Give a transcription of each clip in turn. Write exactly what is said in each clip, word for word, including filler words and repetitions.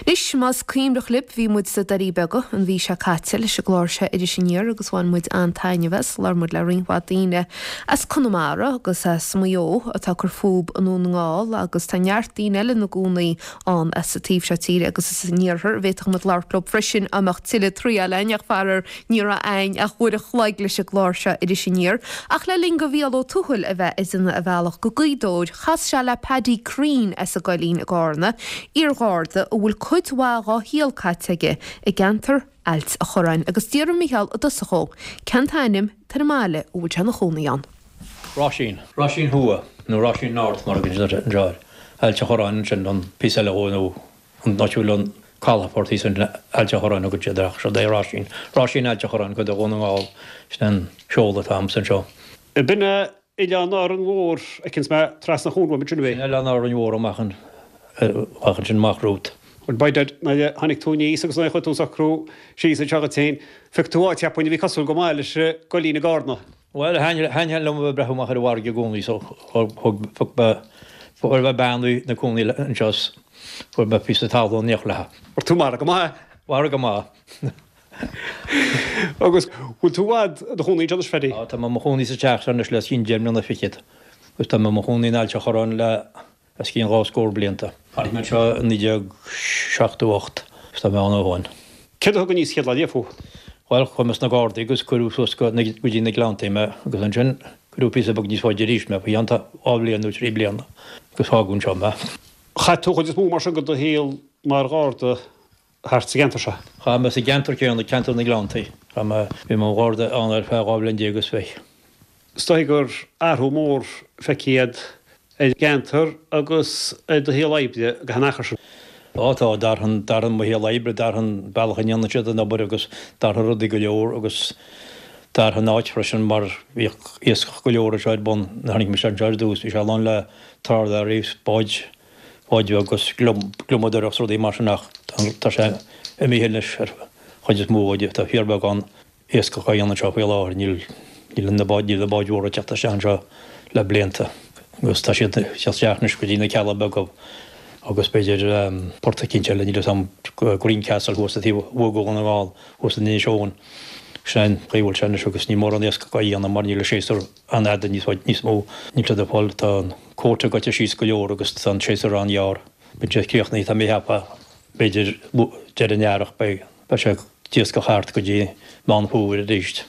Anois más cuimhneach libh bhí muid sna Doirí Beaga an mhí seo caite leis an gclár seo Iris Aniar agus bhain muid an-taitneamh as labhair muid le roinnt mhaith daoine as Conamara agus as Maigh Eo atá ag cur fúthu i nDún na nGall agus tá neart daoine eile ina gcónaí ann as an taobh seo tíre agus as an iarthar a bhféadfadh muid labhairt leo freisin dá mbeadh tuilleadh triail againn ach faraor ní raibh againn ach uair a chloig leis an gclár seo Iris Aniar ach le linn do Mhícheál Ó Tuathail a bheith ag déanamh a bhealach go Gaoth Dobhair chas sé le Paddy Crean as an gCoillín i gCarna, iargharda a bhfuil cuid mhaith dá shaol caite aige i gceantar Ailt a Chorráin agus d'iarr Mícheál i dtosach dhó cén t-ainm atá ar an mbaile a bhfuil sé ina chónaí ann. Roisín, Roisín Thuaidh nó Roisín North mar a thugann siad anseo air. Ailt a Chorráin ansin an píosa eile dhó nó an áit a bhfuil an calafort thíos ansin Ailt a Chorráin a thugann siad air ach seo é Roisín. Roisín Ailt a Chorráin, cuid de Dhún na nGall, sin an seoladh atá agamsa anseo. B'in é Oileán Árainn Mhór a fheiceanns mé trasna an chuain uaim ansin, ab é? Sin Oileán Árainn Mhór amach an amach ansin amach romhat. Bhuel b'fhéidir nuair a tháinig tú aníos agus nuair a chuir tú socrú síos anseo dhuit féin, phioc tú áit cheapfainn a bhí cosúil go maith leis an gCoillín i gCarna. Bhuel, thaithin liom a bheith ag breathnú amach ar an bhfarraige i gcónaí so thug phioc mé fuair mé bean a bhí ina cónaí anseo is fuair mé píosa talún in éineacht léi. Fuair tú margadh maith. Margadh maith. Agus bhfuil tú i bhfad i do chónaí anseo anois, Phaddy? Á, tá mé i mo chónaí sa teach seo anois le os cionn deich mbliana fichead agus tá mé i mo chónaí in Ailt a' Chorráin le os cionn dhá scór blianta. Tháinig mé anseo i naoi déag seachtó ocht agus tá mé ann ó shoin. Céard a thug aníos chéad lá riamh thú? Bhuel, chuaigh mé sna Gardaí agus cuireadh suas go dtí na Gleanntaí mé agus ansin cuireadh píosa beag níos faide arís mé, faoi cheann dhá bhliain nó trí bliana agus fágadh anseo mé. Chaith tú chuid is mó mar sin de do shaol mar Gharda thart sa gceantar seo? Chaith mé sa gceantar céanna, ceantar na nGleanntaí. Chaith mé, bhí mé i mo Gharda ann ar feadh dhá bhliain déag is fiche. Is dóigh gur athrú mór feicthe agat ar an gceantar agus ar do shaol oibre go han-achar sin. Á tá, d'athraigh, d'athraigh mo shaol oibre, d'athraigh an bealach a ndéanann siad an obair agus d'athraigh rudaí go leor agus d'athraigh an áit freisin mar bhíodh iascach go leor anseo ar bun nuair a tháinig mise anseo ar dtús, bhí sé lán le trálaeirí, báid, báid bheaga agus gliomadóireacht is rudaí mar sin ach tá sé imithe anois ar chuid is mó de, tá fíorbheagán iascach á dhéanamh anseo faoi láthair, níl níl na báid níl na báid mhóra ag teacht isteach anseo le blianta agus tá siad ag teacht isteach anois go dtí na Cealla Beaga agus b'fhéidir port eicínt eile, níl a fhios agam, Greencastle thuas sa taobh thuaidh de Dhún na nGall, thuas in Inis Eoghain. Sin é an chaoi a bhfuil sé anois agus níl mórán iascach á dhéanamh mar níl an séasúr an-fhada níos níos mó. Níl siad ag fáil, tá an quota goite síos go leor agus tá an séasúr an-ghearr. Bíonn sé críochnaithe, tá mé ag ceapadh, b'fhéidir deireadh an earrach beidh beidh sé d'iascach thart go dtí Meán Fómhair arís.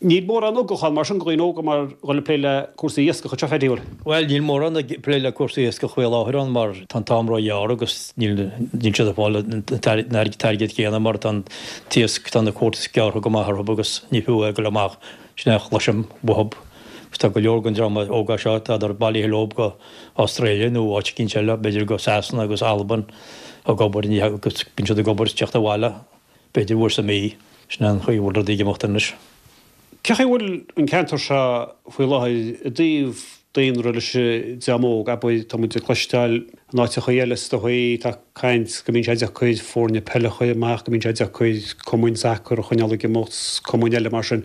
Níl mórán ugach ann mar sin do dhaoine óga mar dhul ag plé le cúrsaí iascach anseo, Phaddy, an bhfuil? Bhuel, níl mórán ag plé le cúrsaí iascach faoi láthair ann mar tá an t-am ró-ghearr agus níl níl siad ag fáil an t-airgead céanna mar tá an t-iasc, tá na quotas gearrtha go maith orthu agus ní fiú é dul amach, sin é a chloisim uathu. Agus tá go leor den dream óga seo, tádar bailithe leo go Australia nó áit eicínt eile, b'fhéidir go Sasana agus Albain ag obair, ní agus bíonn siad ag obair is teacht abhaile b'fhéidir uair sa mhí. Sin é an chaoi a bhfuil rudaí ag imeacht anois. Cé chaoi a bhfuil an ceantar seo faoi láthair i dtaobh daonra leis an dream óg, abair, tá muid ag cloisteáil in áiteachaí eile is dóigh, tá caint go mbíonn sé deacair foirne peile a chur amach, go mbíonn sé deacair cumainn sacair a choinneáil ag imeacht, cumainn eile mar sin.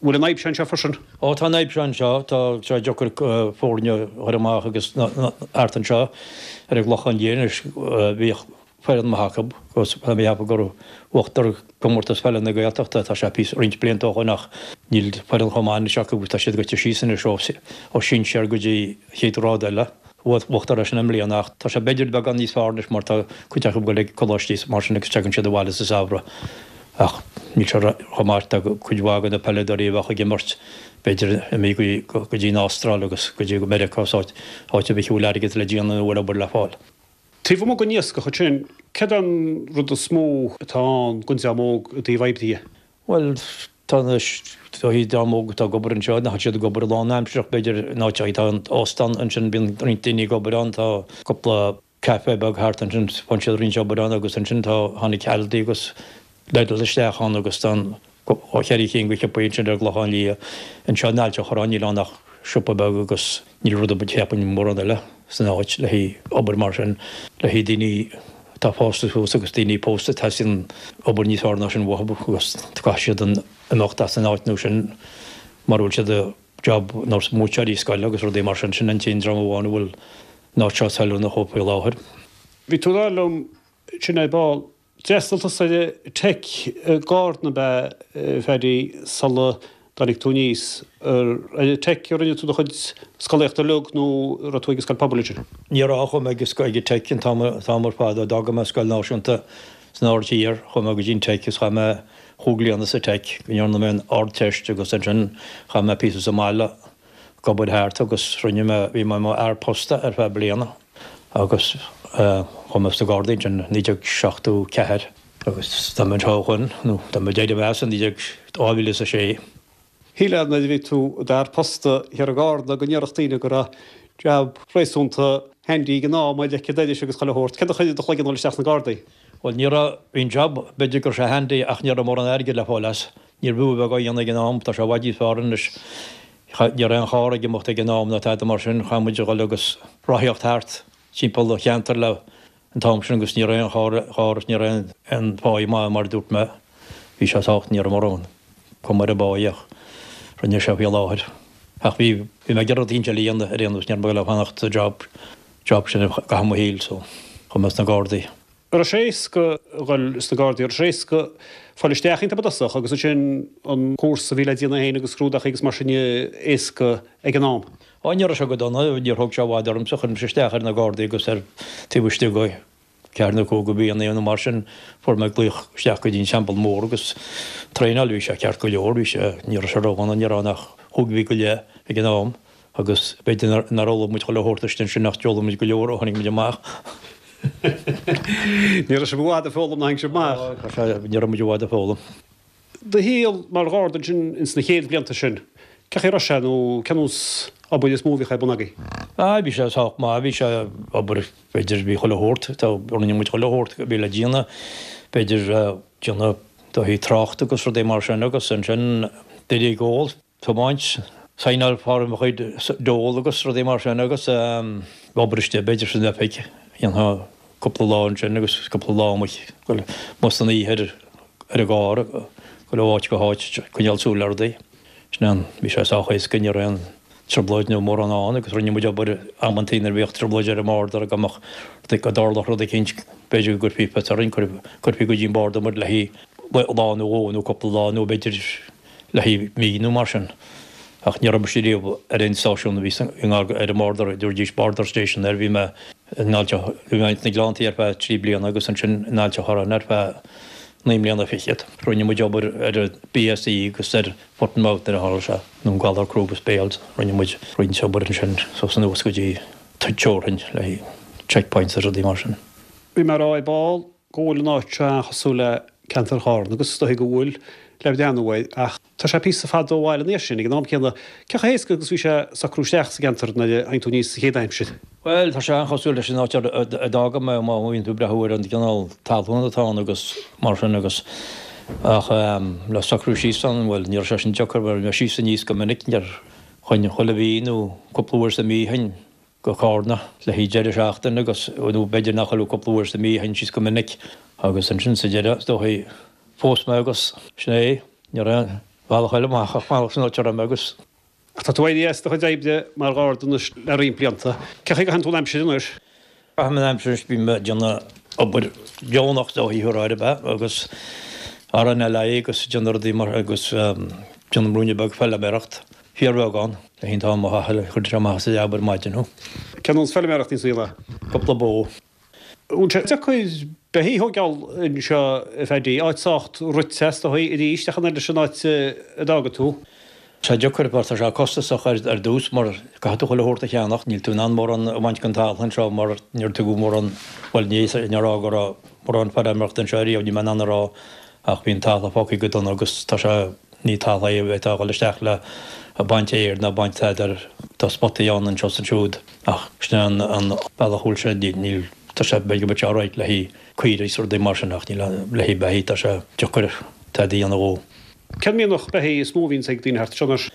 Bhfuil an fhadhb seo anseo freisin? Ó tá an fhadhb seo anseo, tá sé deacair foirne a chur amach agus thart anseo ar an gClochán Liath anois, bhíodh foireann maith acu agus tá mé ag ceapadh gur bhuadar Comórtas Peile na Gaeltachta, tá sé píosa, roinnt blianta ó shoin ach níl foireann chomh maith anois acu agus tá siad goite síos anois ó ó sinsear go dtí chéad ghrád eile. Bhuadar é sin i mbliana ach tá sé b'fhéidir beagán níos fearr anois mar tá cuid acu ag dul ag coláistí is mar sin agus tagann siad abhaile sa samhradh ach níl sé chomh maith, tá cuid mhaith de na peileadóirí a bheadh ag imirt b'fhéidir imithe go dtí an Astráil agus go dtí Meiriceá is áit áit ar bith a bhfuil airgead le déanamh nó a bhfuil obair le fáil. Taobh amuigh den iascach ansin, céard é an rud is mó atá ann don dream óg i dtaobh oibre dhe? Bhuel, tá na dream óg atá ag obair anseo, nach bhfuil siad ag obair lánaimsearach, b'fhéidir, in áiteachaí tá an t-óstán ansin, bíonn roinnt daoine ag obair ann, tá cúpla café beag thart ansin, faigheann siad roinnt obair ann agus ansin tá, tháinig Aldi agus Lidl isteach ann agus tá an cheithre cinn de shiopaí ansin ar an gClochán Liath. Anseo in Ailt an Chorráin níl ann ach siopa beag agus níl rud ar bith cheapfainn mórán eile san áit le haghaidh obair mar sin, le haghaidh daoine atá fásta suas agus daoine pósta, teastaíonn obair níos fearr ná sin uathu agus caithfidh siad an imeacht as an áit nó sin mura bhfuil siad i job nós múinteoirí scoile agus rudaí mar sin, sin an t-aon dream amháin a bhfuil an áit seo feiliúnach dóibh faoi láthair. Bhí tú ag rá liom Sin é ball. D'fhreastail tusa ar an Teic i gCarna ab ea, a Phaddy, sula dtáinig tú aníos. Ar an Teic a rinne tú do chuid scolaíochta uilig nó an raibh tú ag an scoil pobail ansin? Ní raibh, chuaigh mé ag an Teic an t-am ar fad. Ó d'fhága mé Scoil Náisiúnta san Aird Thiar, chuaigh mé go dtí an Teic agus chaith mé chúig bliana sa Teic go ndearna mé an Ardteist agus ansin chaith mé píosa sa mbaile ag obair thart agus rinne mé, bhí mé i mo fhear posta ar feadh bliana. Agus chuaigh mé sna Gardaí ansin naoi déag seachtó ceathair agus tá mé anseo ó shoin, nó tá mé d'éirigh as i naoi déag dhá mhíle is a sé. Shílfeá nuair a bhí tú i d'fhear posta thiar i gCarna go ndéarfadh daoine go raibh jab réasúnta handy ag an am le cead agus chuile shórt. Céard a chuir i do chloigeann dul isteach sna Gardaí? Bhuel ní raibh, bhí an jab, b'fhéidir go raibh sé handy ach ní raibh mórán airgid le fáil as. Níorbh fhiú a bheith á dhéanamh ag an am, tá sé i bhfad níos fearr anois. Ní raibh aon charr ag imeacht ag an am ná tada mar sin, chaith muid a dhul agus rothaíocht thart timpeall an cheantair le an t-am sin agus ní raibh aon charr charr agus ní raibh aon pháigh maith mar a dúirt mé. Bhí sé sách, ní raibh mórán cuma ar an bpáigh ach rinne sé faoi láthair. Ach bhí bhí mé ag iarraidh rud éicint eile a dhéanamh ar aon nós, ní raibh mé ag dul a fanacht sa job job sin i gcaitheamh mo shaoil so chuaigh mé sna Gardaí. An raibh sé éasca a dhul sna Gardaí, an raibh sé éasca fáil isteach iontu i dtosach agus ansin an cúrsa a bhí le déanamh féin agus scrúdachaí agus mar sin éasca ag an am? Á ní raibh sé go dona, níor thóg sé i bhfad ormsa, chuir mise isteach ar na Gardaí agus ar taobh istigh de ceathair nó cúig de mhíonna nó mar sin fuair mé glaoch isteach go dtí an Teampall Mór agus traenáil, bhí sé ceart go leor, bhí sé, ní raibh sé ródhona, ní raibh ann ach chúig mhí go leith ag an am agus b'fhéidir nár fhoghlaim muid chuile shórt istigh ansin ach d'fhoghlaim muid go leor ó tháinig muid amach. Ní raibh sibh i bhfad ag foghlaim nuair a tháinig sibh amach. Ní raibh muid i bhfad ag foghlaim. Do shaol mar Gharda ansin ins na chéad bhlianta sin, cén chaoi a raibh sé nó cén nós obair is mó a bhíodh ar bun agaibh? Ah, bhí sé sách maith, bhí sé obair, b'fhéidir, bhí chuile shórt, tá, rinne muid chuile shórt a bhí le déanamh, b'fhéidir déanamh dóthaí trácht agus rudaí mar sin agus ansin d'éirí ag ól. Tiomáint, saighneáil fá mo chuid dól agus rudaí mar sin agus obair istigh b'fhéidir san oifig, dhéanfá cúpla lá ansin agus cúpla lá amuigh, amuigh san oíche ar ar an gcarr, dul ó áit go háit, coinneáil súil ar rudaí. Sin an, bhí sé sách éasca, ní raibh aon trioblóid nó mórán ann agus rinne muid obair amantaí nuair a bhíodh trioblóid ar an mborder go mbeadh, go dtarlódh rud eicínt, b'fhéidir go gcuirfí fios orainn, cuirfí go dtí an border muid le haghaidh lá nó dhó nó cúpla lá nó b'fhéidir le haghaidh mí nó mar sin. Ach ní raibh mise riamh ar aon stáisiún a bhí i ngar ar an mborder, dúirdís border station air, bhí mé in Ailt a', bhí mé sna Gleanntaí ar feadh trí bliana agus ansin in Ailt a' Chorráin ar feadh naoi mbliana fichead. Rinne muid obair ar an BSE agus ar foot and mouth nuair a tharla sé, nó an galar crúb is béil, rinne muid roinnt obair ansin suas anuas go dtí teorainn le haghaidh checkpoints agus rudaí mar sin. Bhí mé ag rá ar ball go bhfuil an áit seo an-chosúil le ceantar Chárna agus is dóigh go bhfuil le breathnú air ach tá sé píosa fada ó bhaile anois sin ag an am céanna. Cé chomh héasca agus bhí sé socrú isteach sa gceantar nuair a tháinig tú aníos sa chéad aimsir? Bhuel, tá sé an-chosúil leis an áit a d'fhága mé má bhíonn tú ag breathnú ar an gcineál talún atá ann agus mar sin agus ach le socrú síos ann, bhuel, ní raibh sé sin deacair mar bhí mé síos aníos go minic, níor théinn chuile mhí nó cúpla uair sa mhí théinn go Cárna le haghaidh deireadh seachtaine agus, nó b'fhéidir nach chuile cúpla uair sa mhí, théinn síos go minic agus ansin sa deireadh, is dóichí, phós mé agus sin é, ní raibh aon bhealach eile amach ach fanacht san áit a raibh mé agus. Ach tá tú éirithe as do chuid oibre mar gharda anois le roinnt blianta. Cén chaoi a gcaitheann tú an aimsir anois? Caithim an aimsir anois, bím ag déanamh obair dheonach is dóichí ar ar bith agus RNLI agus déanamh rudaí mar agus déanamh ruainne beag feilméaracht. Fíorbheagán. Le an t-am a chaitheamh, chuir sé amach as an leaba ar maidin thú. Cén nós feilméarachta sa saol é? Cúpla bó. Bhfuil sé deacair beithígh a thógáil anseo a Phaddy, áit sách rite is dóigh arís ach an oiread leis an áit a d'fhága tú. Tá sé deacair mar tá sé costasach ar ar dtús mar caithfidh tú chuile shórt a cheannach. Níl tú in ann mórán a bhaint den talamh anseo mar níor tugadh mórán, bhuel ní ní rá go raibh mórán feirmeoireachta anseo ariamh, níl mé in ann a rá ach bhí an talamh fágtha go dona agus tá sé Ní talamh é atá ag dul isteach le baint fhéir ná baint tada, tá spotaí ann anseo is ansiúd ach sin é an bealach a bhfuil sé, níl, tá sé, b'fhéidir go mbeadh sé alright le haghaidh caoirigh is rudaí mar sin ach níl, le haghaidh beithígh tá sé deacair tada a dhéanamh dhó. Cén mianach beithígh is mó a bhíonns ag daoine thart anseo anois?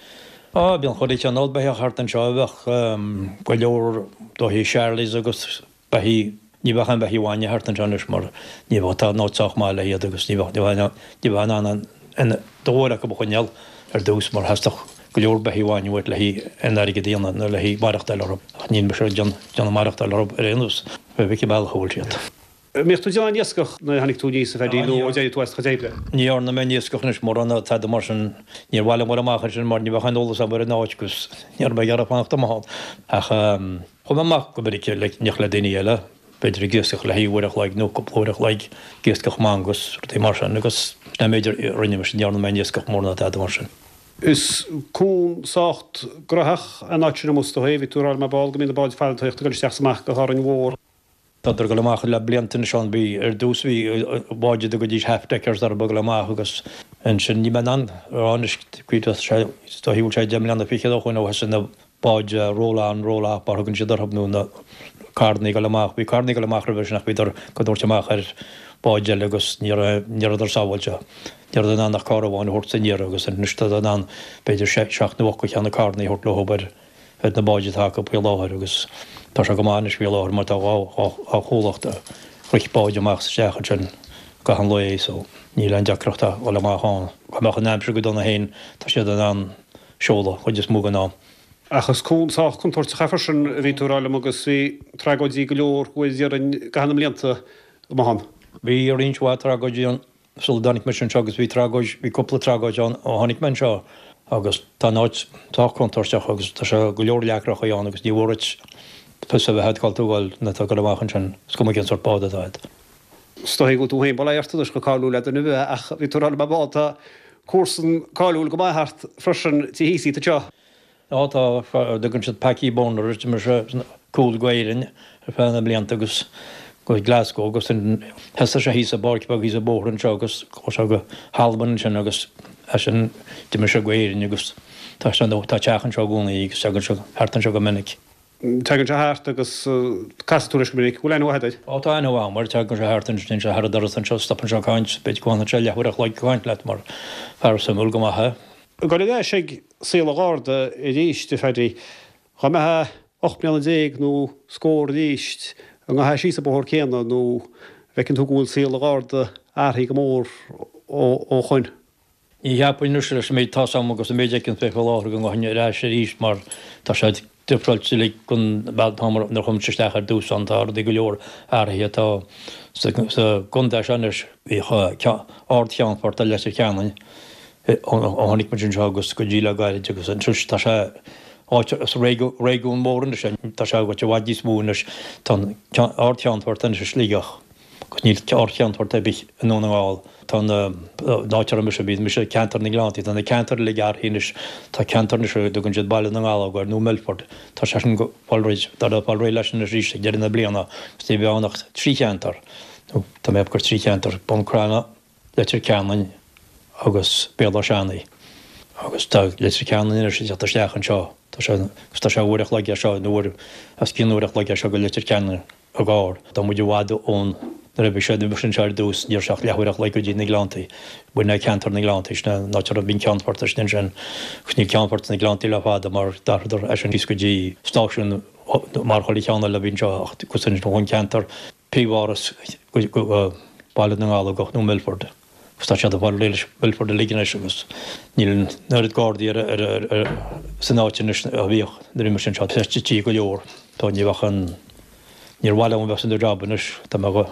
Á, bíonn chuile chineál beithíoch thart anseo, bheadh go leor dóichí Charlies agus beithígh, ní bheadh aon bheithígh bhainne thart anseo anois mar ní bheadh, tá an áit sách maith le hiad agus ní bheadh, ní bheadh in ann an go leor acu a choinneáil ar dtús mar theastódh go leor beithígh bhainne uait le haghaidh an airgead a dhéanamh nó le haghaidh maireachtáil orthu ach níl mise ag déanamh maireachtáil orthu ar aon nós, pé bith cén bealach a bhfuil siad. Mbíodh tú ag déanamh iascach nuair a tháinig tú aníos, a Phaddy, nó ar d'éirigh tú as do chuid oibre? Ní dhearna mé aon iascach anois mórán ná tada mar sin. Níor mhaith liom dul amach ansin mar ní bheadh aon eolas agam ar an áit agus ní raibh mé ag iarraidh fanacht amach ann. Ach chuaigh mé amach go minic le ní le daoine eile, b'fhéidir ag iascach le haghaidh uair a chloig nó cúpla uair a chloig, ag iascach manga agus rudaí mar sin agus sin an méid a rinne mise, ní dhearna mé aon iascach mór ná tada mar sin. Is cuan sách gnóthach an áit sin amuigh is dóigh, bhí tú ag rá liom ar ball go mbíonn na báid fada ag tíocht ag dul isteach is amach go hÁrainn Mhór. Tádar ag dul amach le blianta anois ann. Bhí, ar dtús bhí báid a dtugaidís half deckers orthu ag dul amach agus ansin níl mé in ann a rá anois cuid is dóichí go bhfuil sé deich mbliana fichead ó shoin ó thosaigh na báid roll on roll off mar a thugann siad orthu nó na carrannaí ag dul amach. Bhí carrannaí ag dul amach roimhe sin ach bhíodar á dtabhairt amach ar báid eile agus ní raibh, ní rabhadar sábháilte. Ní rabhadar in ann ach carr amháin a thabhairt san iarraidh agus anois tádar in ann b'fhéidir seacht nó ocht de na carrannaí a thabhairt leo ar ar na báid atá acu faoi láthair agus tá sé go maith anois faoi láthair mar tá dhá dhá chomhlacht a rith báid amach is isteach ansin gach aon lae so níl aon deacracht a dhul amach ann. Dá mbeadh an aimsir go dona féin tá siad in ann seoladh chuid is mó den am. Ach is cuan sách contúirteach é freisin a bhí tú a rá liom agus bhí tragóidí go leor déarfainn i gcaitheamh na mblianta amuigh ann. Bhí roinnt mhaith tragóidí ann sula dtáinig mise anseo agus bhí tragóid, bhí cúpla tragóid ann ó tháinig mé anseo agus tá an áit sách contúirteach agus tá sé go leor leacrachaí ann agus ní mhór duit fios a bheith agat cá bhfuil tú ag dul nuair atá tú ag dul amach ansin, is cuma cén sórt bád atá agat. Is dóigh go bhfuil tú féin bail ó Dhia ort anois chomh cáiliúil le duine ar bith ach bhí tú ag rá liom ar ball tá comharsan cáiliúil go maith thart freisin tí thíos anseo. Á tá, tugann siad Packie Bonner air, d'imir sé cúl go Éirinn ar feadh na mblianta agus go Glasgow agus thosaigh sé thíos i bpáirc bheag thíos an bóthar anseo agus chuaigh sé go hAlbain ansin agus as sin d'imir sé go Éirinn agus tá sé tá teach anseo i gcónaí agus tagann sé thart anseo go minic. Tagann sé thart agus casann tú leis go minic. Bhfuil aithne mhaith agat air? Ó tá aithne mhaith agam air, tagann sé thart ansin, téann sé thar an doras anseo, stopann sé ag caint, b'fhéidir go bhfanann sé leathuair a chloig ag caint leat mar fear suimiúil go maith é. Ag dul ar ais ag saol an Gharda arís, a Phaddy, dá mbeifeá ocht mbliana déag nó scór arís, an ngabhfá síos an bóthar céanna nó an bhfeiceann tú go bhfuil saol an Gharda athraithe go mór ó shoin? Ní cheapfainn anois leis an méid atá 's agam agus an méid a fheiceann mé faoi láthair go ngabhfainn ar ais arís mar tá sé difreáilte uilig gon bhealach atá nuair a chuaigh mise isteach ar dtús ann. Tá rudaí go leor athraithe. Tá sa gcontae seo anois bhíodh Ard-Cheannfort i Leitir Ceanainn ó tháinig muid anseo agus go dtí le gairid agus anois tá sé áit, is réigiún mór anois é, tá sé i bhfad níos mó anois, tá an Ard-Cheannfort anois i Sligeach agus níl Ard-Cheannfort ar bith i nDún na nGall. Tá na, an áit a raibh mise, bhí mise i gceantar na nGleanntaí, tá na ceantair uilig athraithe anois, tá ceantar anois a dtugann siad Baile na nGallóg air nó Milford, tá sé sin ag fáil réidh, tá ag fáil réidh leis anois arís ag deireadh na bliana agus ní bheidh ann ach trí cheantar, nó tá mé ag ceapadh gur trí cheantar, Bun Cranncha, Leitir Ceanainn agus Béal Átha Seanaidh. Agus tá Leitir Ceanainn anois ag teacht isteach anseo. Tá sé, agus tá sé uair a chloig as seo, nó uair, os cionn uair a chloig as seo go Leitir Ceanainn i gcarr. Tá muid i bhfad ón, nuair a bhí sé, bhí anseo ar dtús, ní raibh sé ach leathuair a chloig go dtí na Gleanntaí. B'in é ceantar na nGleanntaí, sin é an áit a raibh, bhí an ceannfort ansin ansin. Agus níl ceannfort sna Gleanntaí le fada mar d'athraíodar é sin síos go dtí stáisiún mar chuile cheann eile a bhí anseo ach agus ansin ón ceantar príomháras go Baile na nGallógach nó Milford. Agus tá siad ag fáil réidh leis Milford uilig anois agus níl an oiread Gardaí ar ar ar san áit anois a bhíodh nuair a bhí mise anseo. Tá sé tite go leor. Tá ní bheadh an níor mhaith liom a bheith san job anois dá mbeadh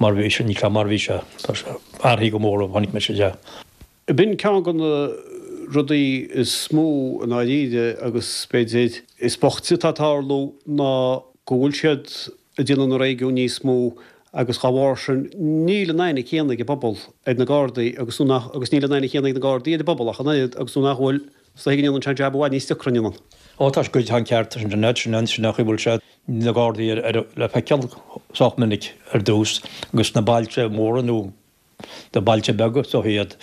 mar bhí sé níl sé mar bhí sé. Tá sé athraithe go mór ó tháinig mise isteach. B'in ceann de na rudaí is mó i ndáiríre agus b'fhéidir is boichte atá ag tarlú ná go bhfuil siad ag déanamh na réigiún níos mó agus dá bharr sin níl an aithne chéanna ag an bpobal ar na Gardaí agus nó nach agus níl an aithne chéanna ag na Gardaí ar an bpobal ach an oiread agus nó nach bhfuil is dóigh go ndéanann sé an jab i bhfad níos deacra an ndéanann? Ó tá sé tá an ceart sin sin sin sin nach bhfuil sé na Gardaí ar ar le feiceáil sách minic ar dtús agus sna bailte móra nó na bailte beaga so iad.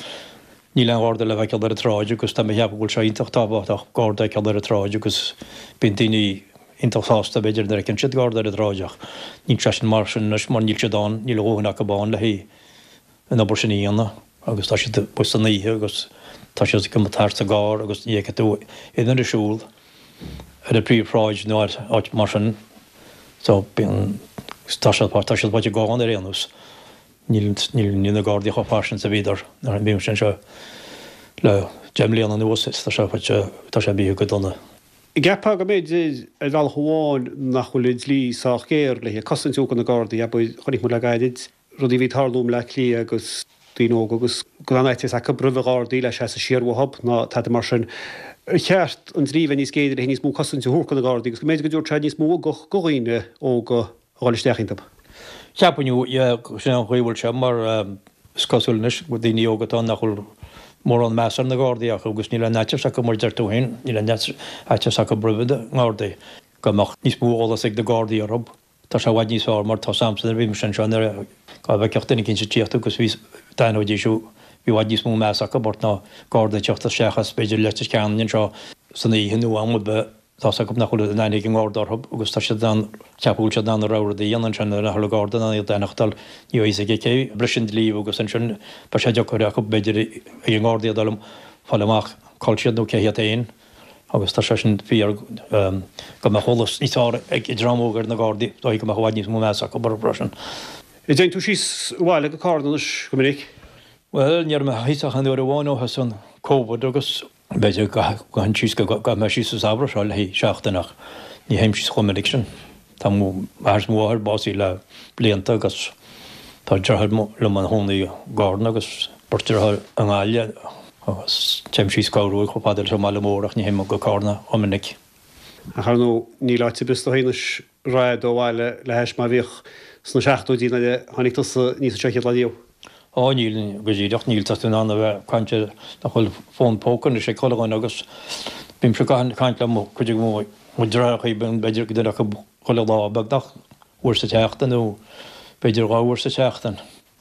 Níl aon gharda le feiceáil ar an tsráid agus tá mé ag ceapadh go bhfuil sé iontach tábhachtach garda a fheiceáil ar an tsráid agus bíonn daoine iontach sásta b'fhéidir nuair a fheiceann siad garda ar an tsráid ach níl sé sin mar sin anois mar níl siad ann, níl a dhóthain acu ann le haghaidh an obair sin a dhéanamh agus tá siad amuigh san oíche agus tá siad ag imeacht thart sa gcarr agus ní fheicfidh tú aon duine ag siúl ar an bpríomhshráid nó ar áit mar sin so bíonn tá siad tá siad faighte gann ar aon nós. Níl níl na Gardaí chomh fairsing is a bhíodar nuair a bhí mise anseo le deich mbliana anuas is tá sé faighte tá sé imithe go dona. An gceapfá go mb'fhéidir ar bhealach amháin nach bhfuil an dlí sách géar le cosaint ó na Gardaí, abair, chonaic muid le gairid rudaí a bhí ag tarlú i mBleá Cliath agus daoine óga agus go raibh an fhaitíos acu roimh Ghardaí le seasamh siar uathub ná tada mar sin. Ar cheart an dlí bheith níos géire le níos mó cosaint a thabhairt do na Gardaí agus go mb'fhéidir go dtabharfadh sé níos mó ugach do dhaoine óga a dhul isteach iontu? Cheapfainn, yeah, sin an chaoi a bhfuil sé mar is cosúil anois go daoine óga atá nach bhfuil mórán meas ar na Gardaí acu agus níl aon fhaitíos acu mar deir tú féin, níl aon fhaitíos acu roimh na nGardaí. Go mbeadh níos mó eolas ag na Gardaí orthu, tá sé i bhfad níos fearr mar tá samsa nuair a bhí mise anseo nuair a dá bhfeicfeadh duine éicint ag tíocht agus bhí d'aithneoidís thú, bhí i bhfad níos mó meas acu ort ná Garda ag teacht isteach as b'fhéidir Leitir Ceanainn anseo san oíche nó am ar bith. Tá 's acu nach bhfuil aon aithne ag an nGarda orthu agus tá siad in ann, ceapadh go bhfuil siad in ann a rogha rud a dhéanamh ansin nuair nach bhfuil an Garda in ann iad a aithneachtáil, ní bheidh a fhios aige cé a bhris an dlí agus ansin beidh sé deacair acu b'fhéidir ag an nGarda iad a fháil amach cá bhfuil siad nó cé hiad féin agus tá sé sin fíor go mbeadh eolas níos fearr ag dream óg ar na Gardaí, dóigh go mbeadh i bhfad níos mó meas acu orthu freisin. An dtéann tú síos abhaile go Carna anois go minic? Bhuel, ní raibh mé thíos ach an uair amháin ó thosaigh an Covid agus B'fhéidir go gabhfainn síos, go gabhfaidh mé síos an samhradh seo le haghaidh seachtain ach ní théim síos chomh minic sin. Tá m'athair is mo mháthair básaithe le blianta agus tá deartháir liom ina chónaí i gCarna agus beirt deartháir i nGaillimh agus téim síos corruair chomh fada leis an mbaile mór ach ní théim go Carna chomh minic. Ach ar ndóigh níl áit ar bith is dóigh anois raghaidh ó bhaile le hais mar a bhíodh sna seachtóidí nuair a tháinig tusa aníos anseo chéad lá riamh. Á níl, go díreach, níl, tá tú in ann a bheith ag caint ar nach bhfuil fón póca anois ag chuile dhuine agus bímse ag caint le mo chuid de mo dheartháireacha, b'fhéidir duine acu chuile lá beagnach, uair sa tseachtain nó b'fhéidir dhá uair sa tseachtain.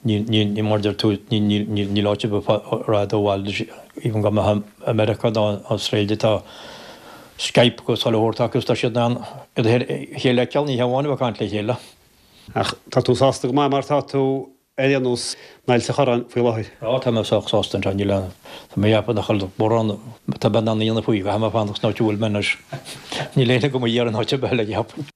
Níl, níl, níl, mar a deir tú, níl, níl, níl, níl áit ar bith a raghaidh ó bhaile, even go mbeifeá i Meiriceá nó Australia tá Skype agus chuile shórt acu agus tá siad in ann iad a chéile a fheiceáil, ní hamháin a bheith ag caint le chéile. Ach tá tú sásta go maith mar tá tú ar aon nós in Ailt an Chorráin faoi láthair. Á, tá mé sách sásta anseo, níl aon, tá mé ag ceapadh nach bhfuil mórán atá mé in ann a dhéanamh faoi, caithfidh mé fanacht san áit a bhfuil mé anois. Níl éinne agam a iarraidh in áit ar bith eile, cheapfainn.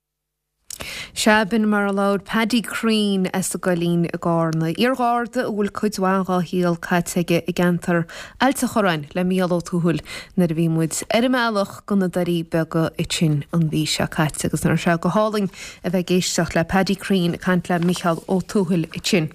Sea, b'in mar a labhair Paddy Crean as an gCoillín i gCarna, iargharda a bhfuil cuid mhaith dhá shaol caite aige i gceantar Ailt an Chorráin le Mícheál Ó Tuathail nuair a bhí muid ar an mbealach go na Doirí Beaga ansin an mhí seo caite agus nach raibh sé go hálainn a bheith ag éisteacht le Paddy Crean ag caint le Mícheál Ó Tuathail ansin.